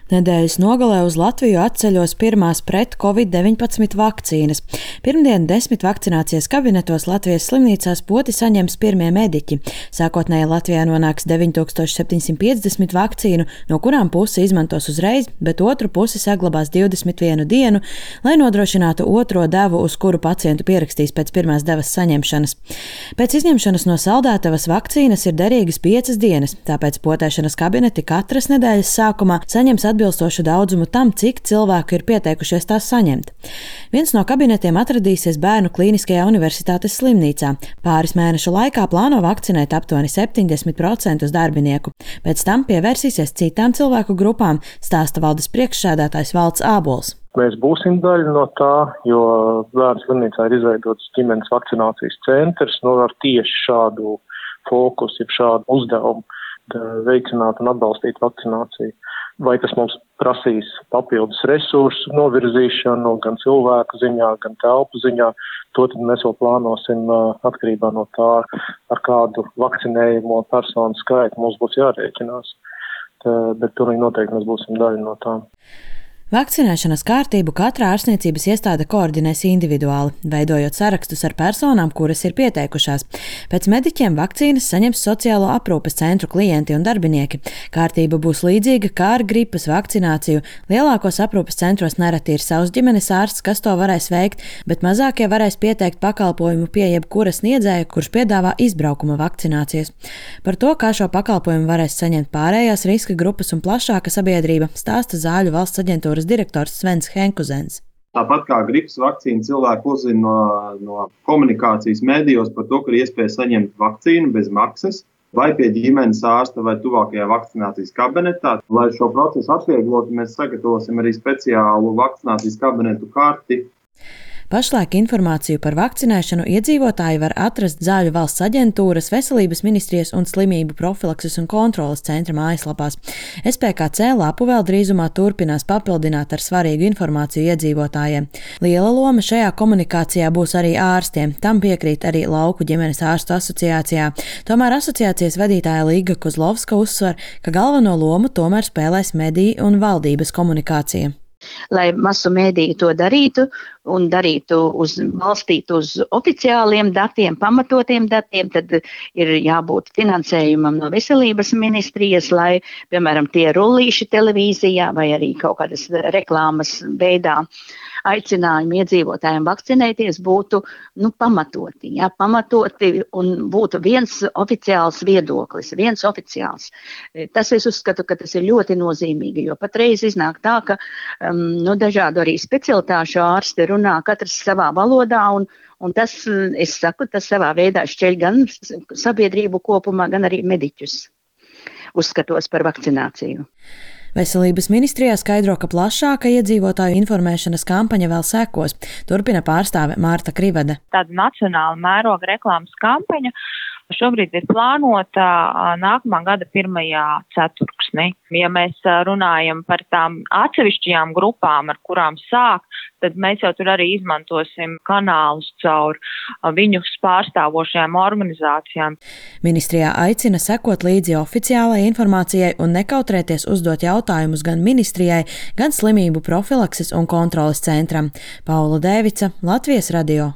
Nedēļas nogalē uz Latviju atceļos pirmās pret Covid-19 vakcīnas. Pirmdien 10 vakcinācijas kabinetos Latvijas slimnīcās poti saņems pirmie mediķi. Sākotnēji Latvijā nonāks 9750 vakcīnu, no kurām pusi izmantos uzreiz, bet otru pusi saglabās 21 dienu, lai nodrošinātu otro devu, uz kuru pacientu pierakstīs pēc pirmās devas saņemšanas. Pēc izņemšanas no saldētavas vakcīnas ir derīgas 5 dienas, tāpēc potēšanas kabineti katras nedēļas sākumā saņems atbilstošu daudzumu tam, cik cilvēku ir pieteikušies tās saņemt. Viens no kabinetiem atradīsies Bērnu Klīniskajā universitātes slimnīcā. Pāris mēnešu laikā plāno vakcinēt aptuveni 70% darbinieku. Pēc tam pievērsīsies citām cilvēku grupām, stāsta valdes priekšsēdētājs Valds Ābols. Mēs būsim daļa no tā, jo Bērnu slimnīcā ir izveidots ģimenes vakcinācijas centrs, ar tieši šādu fokusu, šādu uzdevumu veicināt un atbalstīt vakcināciju. Vai tas mums prasīs papildus resursu novirzīšanu gan cilvēku ziņā, gan telpu ziņā, to tad mēs vēl plānosim atkarībā no tā, ar kādu vakcinējumu personu skaitu mums būs jārēķinās. Bet pilnīgi noteikti mēs būsim daļa no tā. Vakcinēšanas kārtību katra ārstniecības iestāde koordinēs individuāli, veidojot sarakstus ar personām, kuras ir pieteikušās. Pēc mediķiem vakcīnas saņems sociālo aprūpes centru klienti un darbinieki. Kārtība būs līdzīga kā ar gripas vakcināciju. Lielākos aprūpes centros nereti ir savs ģimenes ārsts, kas to varēs veikt, bet mazākie varēs pieteikt pakalpojumu pie jebkura sniedzēja, kurš piedāvā izbraukuma vakcinācijas. Par to, kā šo pakalpojumu varēs saņemt pārējās riska grupas un plašāka sabiedrība, stāsta Zāļu valsts aģentūras direktors Svens Henkuzens. Tāpat kā gripas vakcīnu cilvēki uzzina no komunikācijas medijos par to, ka ir iespēja saņemt vakcīnu bez maksas, vai pie ģimenes ārsta vai tuvākajā vakcinācijas kabinetā. Lai šo procesu atvieglotu, mēs sagatavosim arī speciālu vakcinācijas kabinetu karti. Pašlaik informāciju par vakcinēšanu iedzīvotāji var atrast Zāļu valsts aģentūras, Veselības ministrijas un Slimību profilakses un kontroles centra mājaslapās. SPKC lapu vēl drīzumā turpinās papildināt ar svarīgu informāciju iedzīvotājiem. Liela loma šajā komunikācijā būs arī ārstiem. Tam piekrīt arī Lauku ģimenes ārstu asociācijā. Tomēr asociācijas vadītāja Līga Kozlovska uzsver, ka galveno lomu tomēr spēlēs mediju un valdības komunikācija. Lai masu mēdīji to darītu un balstītu uz oficiāliem datiem, pamatotiem datiem, tad ir jābūt finansējumam no Veselības ministrijas, lai, piemēram, tie rullīši televīzijā vai arī kaut kādas reklāmas veidā aicinājumi iedzīvotājiem vakcinēties būtu pamatoti un būtu viens oficiāls viedoklis, viens oficiāls. Tas es uzskatu, ka tas ir ļoti nozīmīgi, jo patreiz iznāk tā, ka dažādu arī specialitāšu ārsti runā katrs savā valodā un tas, es saku, tas savā veidā šķeļ gan sabiedrību kopumā, gan arī mediķus uzskatos par vakcināciju. Veselības ministrijā skaidro, ka plašāka iedzīvotāju informēšanas kampaņa vēl sekos. Turpina pārstāve Mārta Krivede. Tāda nacionāla mēroga reklāmas kampaņa šobrīd ir plānota nākamā gada 1. ceturksnī. Ja mēs runājam par tām atsevišķajām grupām, ar kurām sāk, tad mēs jau tur arī izmantosim kanālus caur viņus pārstāvošajām organizācijām. Ministrijā aicina sekot līdzi oficiālai informācijai un nekautrēties uzdot jautājumus gan ministrijai, gan Slimību profilakses un kontroles centram. Paula Dēvica, Latvijas radio.